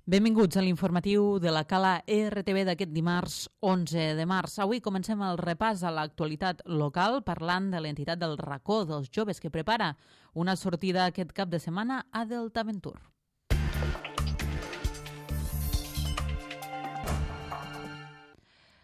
Benvinguts a l'informatiu de la Cala RTV d'aquest dimarts 11 de març. Avui comencem el repàs a l'actualitat local parlant de l'entitat del Racó dels Joves que prepara una sortida aquest cap de setmana a Deltaventur.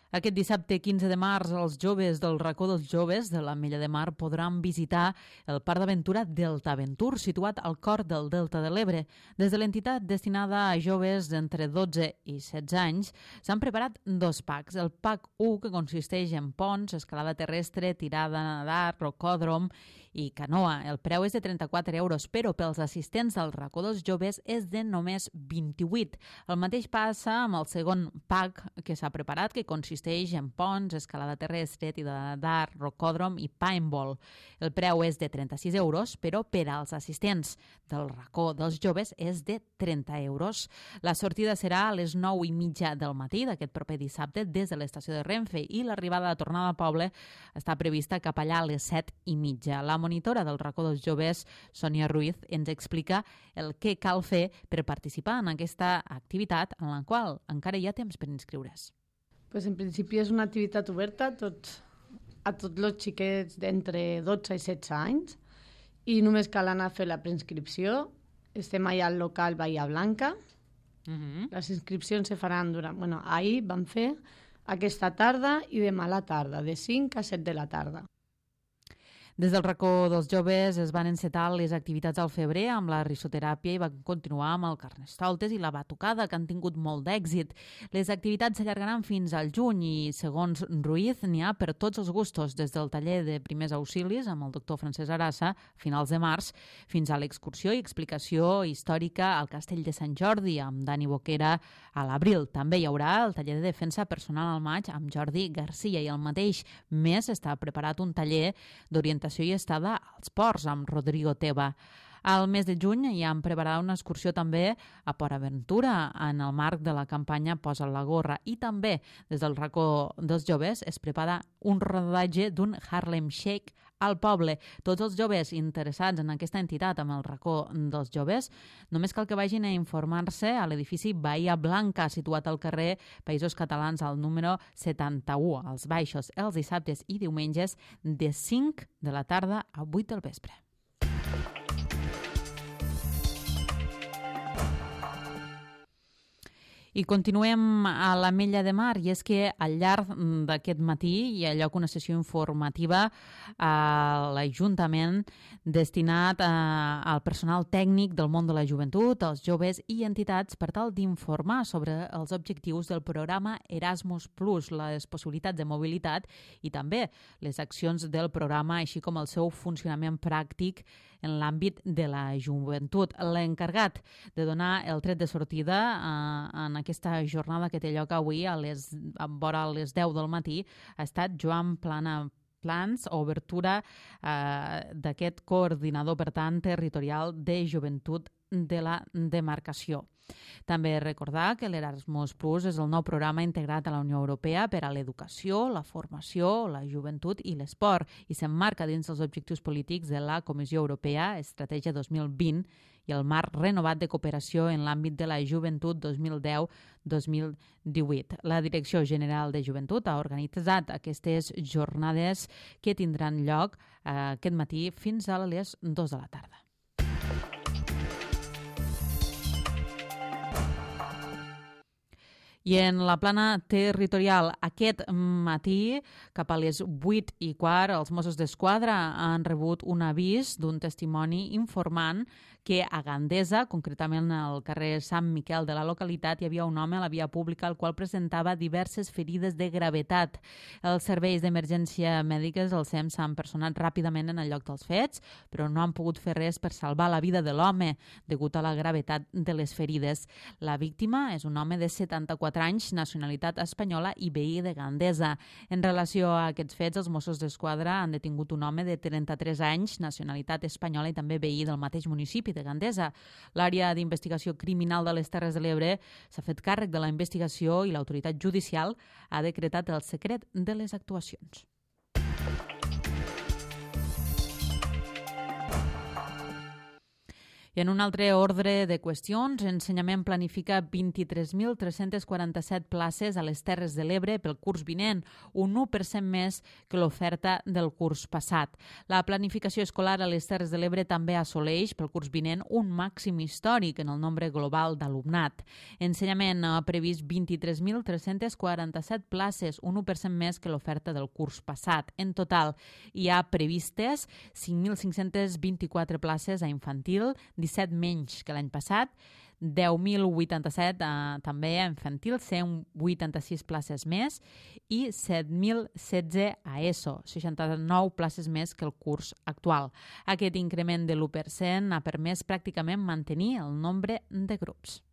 Aquest dissabte 15 de març, els joves del Racó dels Joves de l'Ametlla de Mar podran visitar el Parc d'Aventura Deltaventur, situat al cor del Delta de l'Ebre. Des de l'entitat destinada a joves d'entre 12 i 16 anys, s'han preparat dos packs. El pack 1, que consisteix en ponts, escalada terrestre, tirada a nedar, rocòdrom i canoa. El preu és de 34 euros, però pels assistents del Racó dels Joves és de només 28. El mateix passa amb el segon pack que s'ha preparat, que consisteix en ponts, escalada terrestre, tirada a nedar, rocòdrom i paintball. El preu és de 36 euros, però per als assistents del Racó dels Joves és de 30 euros. La sortida serà a les 9:30 del matí d'aquest proper dissabte des de l'estació de Renfe i l'arribada de tornada al poble està prevista cap allà a les 7:30. La monitora del Racó dels Joves, Sònia Ruiz, ens explica el que cal fer per participar en aquesta activitat en la qual encara hi ha temps per inscriure's. Pues en principi és una activitat oberta a tots els xiquets d'entre 12 i 16 anys i només cal anar a fer la preinscripció. Estem allà al local Bahia Blanca. Les inscripcions se faran ahir vam fer aquesta tarda i demà a la tarda, de 5 a 7 de la tarda. Des del Racó dels Joves es van encetar les activitats al febrer amb la risoteràpia i van continuar amb el carnestoltes i la batucada, que han tingut molt d'èxit. Les activitats s'allargaran fins al juny i, segons Ruiz, n'hi ha per tots els gustos, des del taller de primers auxilis amb el doctor Francesc Arassa a finals de març, fins a l'excursió i explicació històrica al Castell de Sant Jordi amb Dani Boquera a l'abril. També hi haurà el taller de defensa personal al maig amb Jordi Garcia i al mateix mes està preparat un taller d'orientació i estada als ports amb Rodrigo Teba. Al mes de juny hi han preparat una excursió també a Port Aventura en el marc de la campanya Posa't la gorra i també des del Racó dels Joves es prepara un rodatge d'un Harlem Shake al poble. Tots els joves interessats en aquesta entitat amb el Racó dels Joves només cal que vagin a informar-se a l'edifici Bahia Blanca, situat al carrer Països Catalans al número 71, als Baixos, els dissabtes i diumenges de 5 de la tarda a 8 del vespre. I continuem a l'Ametlla de Mar, i és que al llarg d'aquest matí hi ha lloc una sessió informativa a l'Ajuntament destinat al personal tècnic del món de la joventut, als joves i entitats per tal d'informar sobre els objectius del programa Erasmus+, les possibilitats de mobilitat i també les accions del programa, així com el seu funcionament pràctic en l'àmbit de la joventut. L'encarregat de donar el tret de sortida en aquesta jornada que té lloc avui vora les 10 del matí ha estat Joan Plans, obertura d'aquest coordinador, per tant, territorial de joventut de la demarcació. També recordar que l'Erasmus Plus és el nou programa integrat a la Unió Europea per a l'educació, la formació, la joventut i l'esport i s'emmarca dins els objectius polítics de la Comissió Europea Estratègia 2020 i el marc renovat de cooperació en l'àmbit de la joventut 2010-2018. La Direcció General de Joventut ha organitzat aquestes jornades que tindran lloc aquest matí fins a les 2 de la tarda. I en la plana territorial, aquest matí, cap a les 8:15, els Mossos d'Esquadra han rebut un avís d'un testimoni informant que a Gandesa, concretament al carrer Sant Miquel de la localitat, hi havia un home a la via pública el qual presentava diverses ferides de gravetat. Els serveis d'emergència mèdiques, el SEM, s'han personat ràpidament en el lloc dels fets, però no han pogut fer res per salvar la vida de l'home degut a la gravetat de les ferides. La víctima és un home de 74 anys, nacionalitat espanyola i veí de Gandesa. En relació a aquests fets, els Mossos d'Esquadra han detingut un home de 33 anys, nacionalitat espanyola i també veí del mateix municipi de Gandesa. L'àrea d'investigació criminal de les Terres de l'Ebre s'ha fet càrrec de la investigació i l'autoritat judicial ha decretat el secret de les actuacions. I I en un altre ordre de qüestions, Ensenyament planifica 23.347 places a les Terres de l'Ebre pel curs vinent, un 1% més que l'oferta del curs passat. La planificació escolar a les Terres de l'Ebre també assoleix pel curs vinent un màxim històric en el nombre global d'alumnat. Ensenyament ha previst 23.347 places, un 1% més que l'oferta del curs passat. En total, hi ha previstes 5.524 places a infantil, 17 menys que l'any passat, 10.087 també a infantil, 186 places més i 7.016 a ESO, 69 places més que el curs actual. Aquest increment de l'1% ha permès pràcticament mantenir el nombre de grups.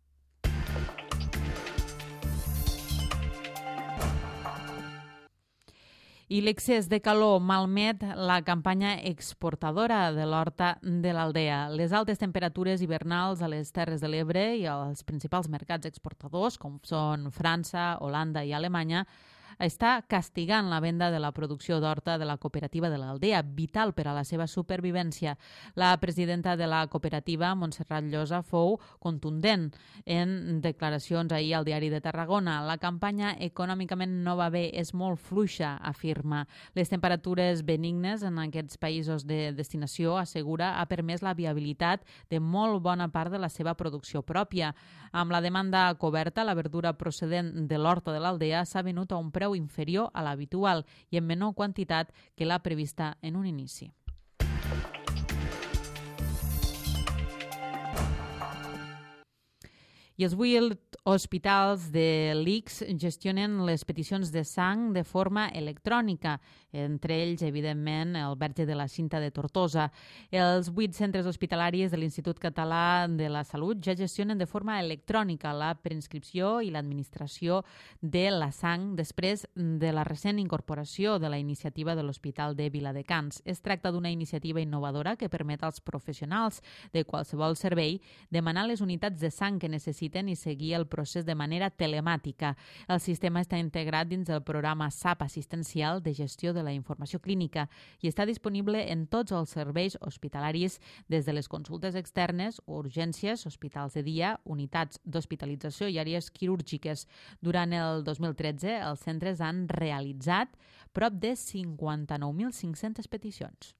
I l'excés de calor malmet la campanya exportadora de l'horta de l'Aldea. Les altes temperatures hivernals a les Terres de l'Ebre i als principals mercats exportadors, com són França, Holanda i Alemanya, està castigant la venda de la producció d'horta de la cooperativa de l'Aldea, vital per a la seva supervivència. La presidenta de la cooperativa, Montserrat Llosa, fou contundent en declaracions ahir al Diari de Tarragona. La campanya econòmicament no va bé, és molt fluixa, afirma. Les temperatures benignes en aquests països de destinació, assegura, ha permès la viabilitat de molt bona part de la seva producció pròpia. Amb la demanda coberta, la verdura procedent de l'horta de l'Aldea s'ha venut a un preu inferior a l'habitual i en menor quantitat que la prevista en un inici. I els 8 hospitals de l'ICS gestionen les peticions de sang de forma electrònica, entre ells, evidentment, el Verge de la Cinta de Tortosa. Els 8 centres hospitalaris de l'Institut Català de la Salut ja gestionen de forma electrònica la preinscripció i l'administració de la sang després de la recent incorporació de la iniciativa de l'Hospital de Viladecans. Es tracta d'una iniciativa innovadora que permet als professionals de qualsevol servei demanar les unitats de sang que necessiten i seguir el procés de manera telemàtica. El sistema està integrat dins el programa SAP assistencial de gestió de la informació clínica i està disponible en tots els serveis hospitalaris, des de les consultes externes, urgències, hospitals de dia, unitats d'hospitalització i àrees quirúrgiques. Durant el 2013, els centres han realitzat prop de 59.500 peticions.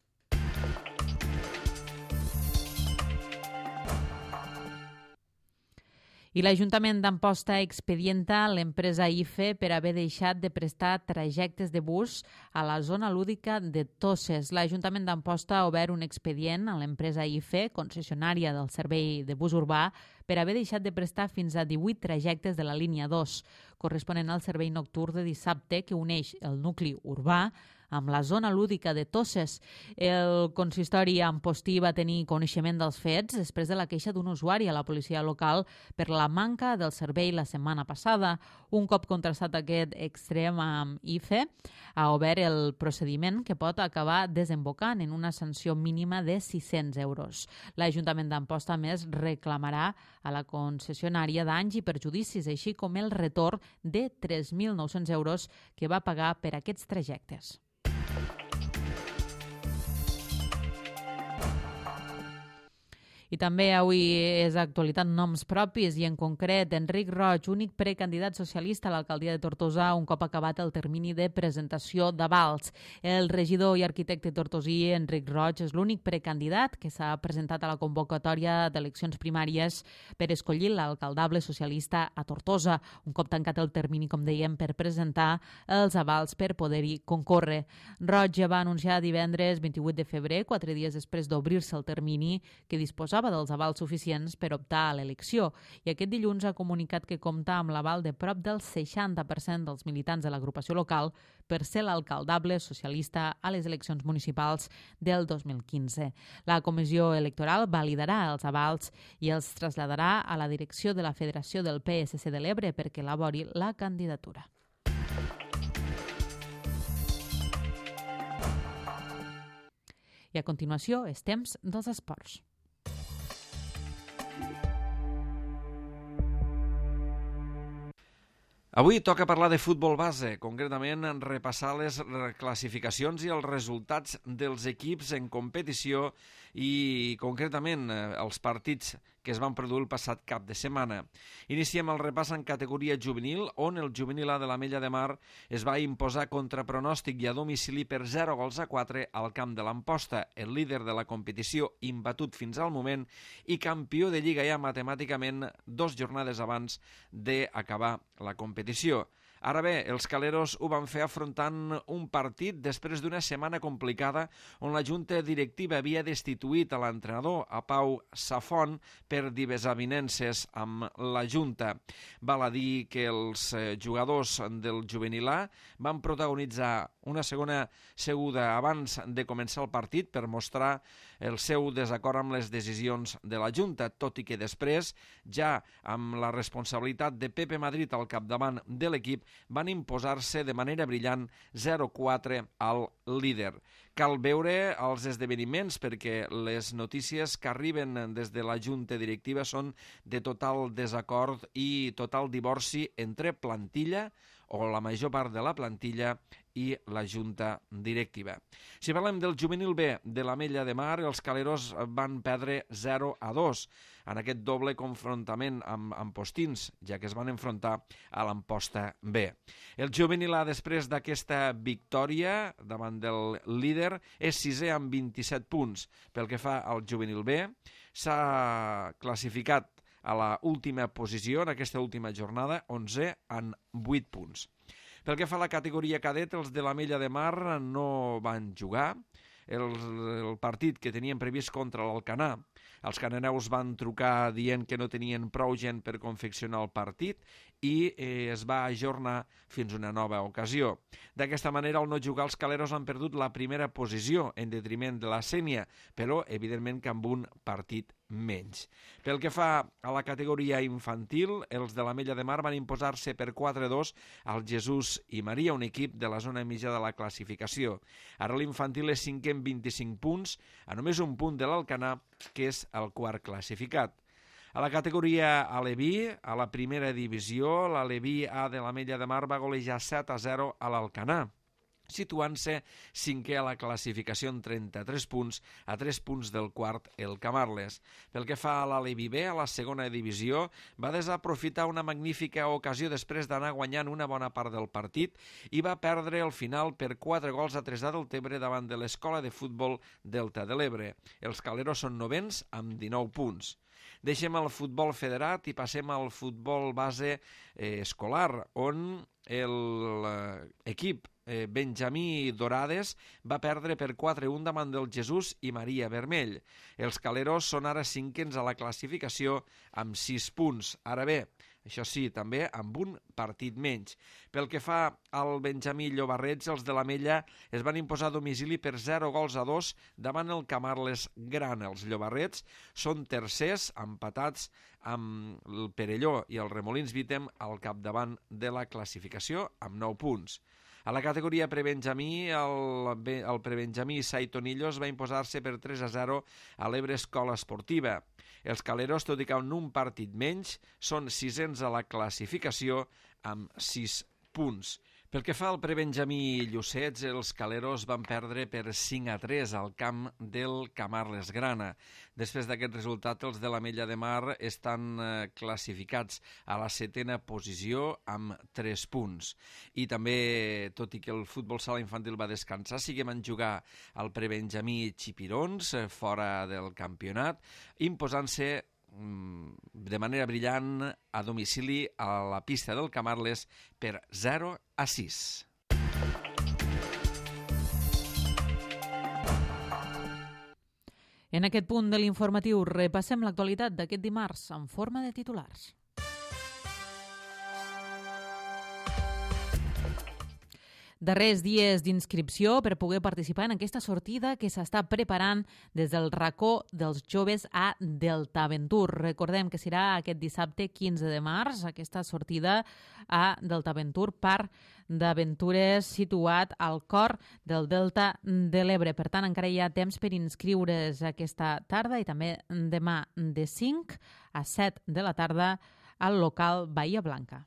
I l'Ajuntament d'Amposta expedienta l'empresa IFE per haver deixat de prestar trajectes de bus a la zona lúdica de Toses. L'Ajuntament d'Amposta ha obert un expedient a l'empresa IFE, concessionària del servei de bus urbà, per haver deixat de prestar fins a 18 trajectes de la línia 2, corresponent al servei nocturn de dissabte que uneix el nucli urbà amb la zona lúdica de Toses. El consistori ampostí va tenir coneixement dels fets després de la queixa d'un usuari a la policia local per la manca del servei la setmana passada. Un cop contrastat aquest extrem amb IFE, ha obert el procediment que pot acabar desembocant en una sanció mínima de 600 euros. L'Ajuntament d'Amposta, a més, reclamarà a la concessionària danys i perjudicis, així com el retorn de 3.900 euros que va pagar per aquests trajectes. I també avui és actualitat noms propis i en concret Enric Roig, únic precandidat socialista a l'alcaldia de Tortosa un cop acabat el termini de presentació d'avals. El regidor i arquitecte tortosí Enric Roig és l'únic precandidat que s'ha presentat a la convocatòria d'eleccions primàries per escollir l'alcaldable socialista a Tortosa, un cop tancat el termini, com dèiem, per presentar els avals per poder-hi concórrer. Roig ja va anunciar divendres 28 de febrer, 4 dies després d'obrir-se el termini, que disposava dels avals suficients per optar a l'elecció i aquest dilluns ha comunicat que compta amb l'aval de prop del 60% dels militants de l'agrupació local per ser l'alcaldable socialista a les eleccions municipals del 2015. La comissió electoral validarà els avals i els traslladarà a la direcció de la Federació del PSC de l'Ebre perquè elabori la candidatura. I a continuació és temps dels esports. Avui toca parlar de futbol base, concretament repassar les classificacions i els resultats dels equips en competició i concretament els partits que es van produir el passat cap de setmana. Iniciem el repàs en categoria juvenil, on el juvenil A de l'Ametlla de Mar es va imposar contra pronòstic i a domicili per 0-4 al camp de l'Amposta, el líder de la competició imbatut fins al moment i campió de Lliga ja matemàticament 2 jornades abans d'acabar la competició. Ara bé, els caleros ho van fer afrontant un partit després d'una setmana complicada on la junta directiva havia destituït a l'entrenador, a Pau Safon, per desavinences amb la junta. Val a dir que els jugadors del juvenil A van protagonitzar una segona seguda abans de començar el partit per mostrar el seu desacord amb les decisions de la junta, tot i que després, ja amb la responsabilitat de Pepe Madrid al capdavant de l'equip, van imposar-se de manera brillant 0-4 al líder. Cal veure els esdeveniments perquè les notícies que arriben des de la junta directiva són de total desacord i total divorci entre plantilla o la major part de la plantilla i la junta directiva. Si parlem del juvenil B de l'Ametlla de Mar, els caleros van perdre 0-2 en aquest doble confrontament amb Postins, ja que es van enfrontar a l'Amposta B. El juvenil A, després d'aquesta victòria davant del líder, és sisè amb 27 punts. Pel que fa al juvenil B, s'ha classificat a la última posició en aquesta última jornada, 11 en 8 punts. Pel que fa a la categoria cadet, els de l'Ametlla de Mar no van jugar. El partit que tenien previst contra l'Alcanar, els cananeus van trucar dient que no tenien prou gent per confeccionar el partit i es va ajornar fins una nova ocasió. D'aquesta manera, al no jugar, els caleros han perdut la primera posició en detriment de la Sénia, però evidentment que amb un partit menys. Pel que fa a la categoria infantil, els de l'Ametlla de Mar van imposar-se per 4-2 al Jesús i Maria, un equip de la zona mitja de la classificació. Ara l'infantil és 5è amb 25 punts, a només un punt de l'Alcanar, que és el quart classificat. A la categoria Aleví, a la primera divisió, l'Aleví A de l'Ametlla de Mar va golejar 7-0 a l'Alcanar, situant-se 5è a la classificació amb 33 punts, a 3 punts del quart, el Camarles. Pel que fa a l'Aleví B, a la segona divisió, va desaprofitar una magnífica ocasió després d'anar guanyant una bona part del partit i va perdre el final per 4-3 a Deltebre davant de l'Escola de Futbol Delta de l'Ebre. Els caleros són novens amb 19 punts. Deixem el futbol federat i passem al futbol base escolar, on l'equip Benjamí Dorades va perdre per 4-1 davant del Jesús i Maria Vermell. Els caleros són ara 5ens a la classificació amb 6 punts. Ara bé, això sí, també amb un partit menys. Pel que fa al Benjamí Llobarrets, els de l'Ametlla es van imposar a domicili per 0-2 davant el Camarles Gran. Els Llobarrets són tercers, empatats amb el Perelló i el Remolins Vítem al capdavant de la classificació amb 9 punts. A la categoria prebenjamí, el prebenjamí Saitonillos va imposar-se per 3-0 a l'Ebre Escola Esportiva. Els caleros, tot i que en un partit menys, són 6ens a la classificació amb 6 punts. Pel que fa al prebenjamí Llucets, els caleros van perdre per 5-3 al camp del Camarles Grana. Després d'aquest resultat, els de l'Ametlla de Mar estan classificats a la 7a posició amb 3 punts. I també, tot i que el futbol sala infantil va descansar, sí que van jugar al prebenjamí Xipirons, fora del campionat, imposant-se de manera brillant a domicili a la pista del Camarles per 0-6. En aquest punt de l'informatiu repassem l'actualitat d'aquest dimarts en forma de titulars. Darrers dies d'inscripció per poder participar en aquesta sortida que s'està preparant des del racó dels joves a Deltaventur. Recordem que serà aquest dissabte 15 de març, aquesta sortida a Deltaventur, parc d'aventures situat al cor del Delta de l'Ebre. Per tant, encara hi ha temps per inscriure's aquesta tarda i també demà de 5 a 7 de la tarda al local Bahia Blanca.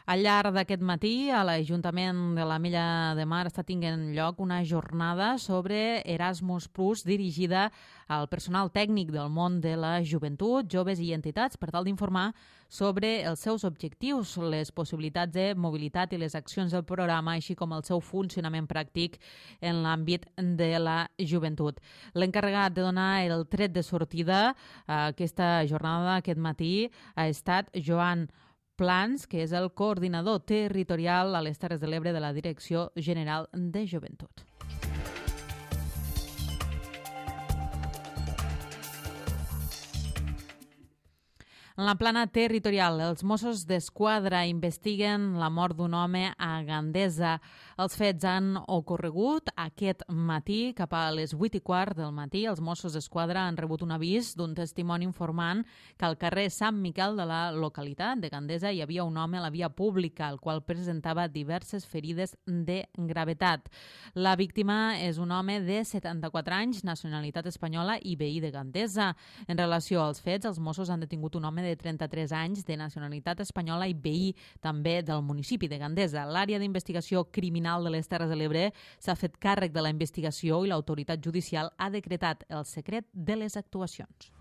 Al llarg d'aquest matí, a l'Ajuntament de l'Ametlla de Mar està tinguent lloc una jornada sobre Erasmus Plus dirigida al personal tècnic del món de la joventut, joves i entitats per tal d'informar sobre els seus objectius, les possibilitats de mobilitat i les accions del programa, així com el seu funcionament pràctic en l'àmbit de la joventut. L'encarregat de donar el tret de sortida a aquesta jornada aquest matí ha estat Joan Plans, que és el coordinador territorial a les Terres de l'Ebre de la Direcció General de Joventut. En la plana territorial, els Mossos d'Esquadra investiguen la mort d'un home a Gandesa. Els fets han ocorregut aquest matí, cap a les 8:15 del matí. Els Mossos d'Esquadra han rebut un avís d'un testimoni informant que al carrer Sant Miquel de la localitat de Gandesa hi havia un home a la via pública, el qual presentava diverses ferides de gravetat. La víctima és un home de 74 anys, nacionalitat espanyola i veí de Gandesa. En relació als fets, els Mossos han detingut un home de 33 anys de nacionalitat espanyola i veí també del municipi de Gandesa. L'àrea d'investigació criminal de les Terres de l'Ebre s'ha fet càrrec de la investigació i l'autoritat judicial ha decretat el secret de les actuacions.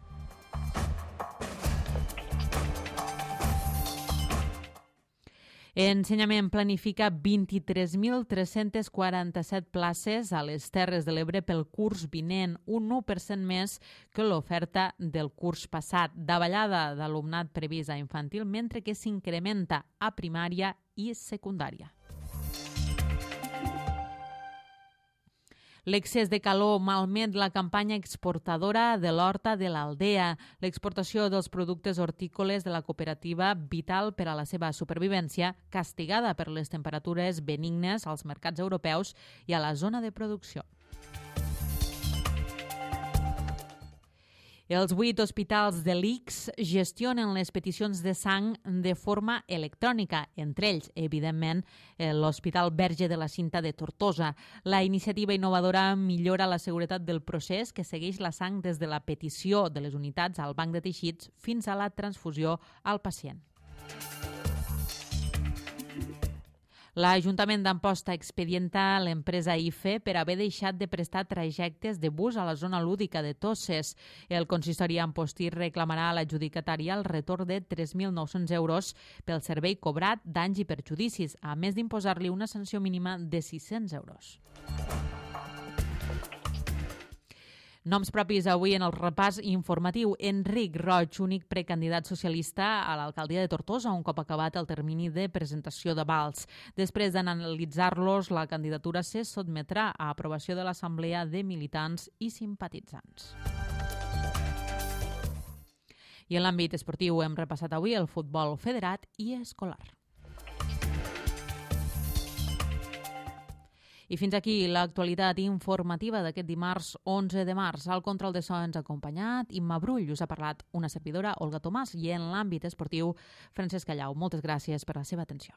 Ensenyament planifica 23.347 places a les Terres de l'Ebre pel curs vinent, un 1% més que l'oferta del curs passat. Davallada d'alumnat previst a infantil, mentre que s'incrementa a primària i secundària. L'excés de calor malmet la campanya exportadora de l'horta de l'Aldea. L'exportació dels productes hortícoles de la cooperativa, vital per a la seva supervivència, castigada per les temperatures benignes als mercats europeus i a la zona de producció. Els 8 hospitals de l'ICS gestionen les peticions de sang de forma electrònica, entre ells, evidentment, l'Hospital Verge de la Cinta de Tortosa. La iniciativa innovadora millora la seguretat del procés que segueix la sang des de la petició de les unitats al banc de teixits fins a la transfusió al pacient. L'Ajuntament d'Amposta expedienta l'empresa IFE per haver deixat de prestar trajectes de bus a la zona lúdica de Toses. El consistori ampostí reclamarà a l'adjudicatària el retorn de 3.900 euros pel servei cobrat, danys i perjudicis, a més d'imposar-li una sanció mínima de 600 euros. Noms propis avui en el repàs informatiu. Enric Roig, únic precandidat socialista a l'alcaldia de Tortosa, un cop acabat el termini de presentació d'avals. Després d'analitzar-los, la candidatura se sotmetrà a aprovació de l'Assemblea de Militants i Simpatitzants. I en l'àmbit esportiu hem repassat avui el futbol federat i escolar. I fins aquí l'actualitat informativa d'aquest dimarts 11 de març. Al control de so ens ha acompanyat Imma Brull, us ha parlat una servidora, Olga Tomàs, i en l'àmbit esportiu, Francesc Callau. Moltes gràcies per la seva atenció.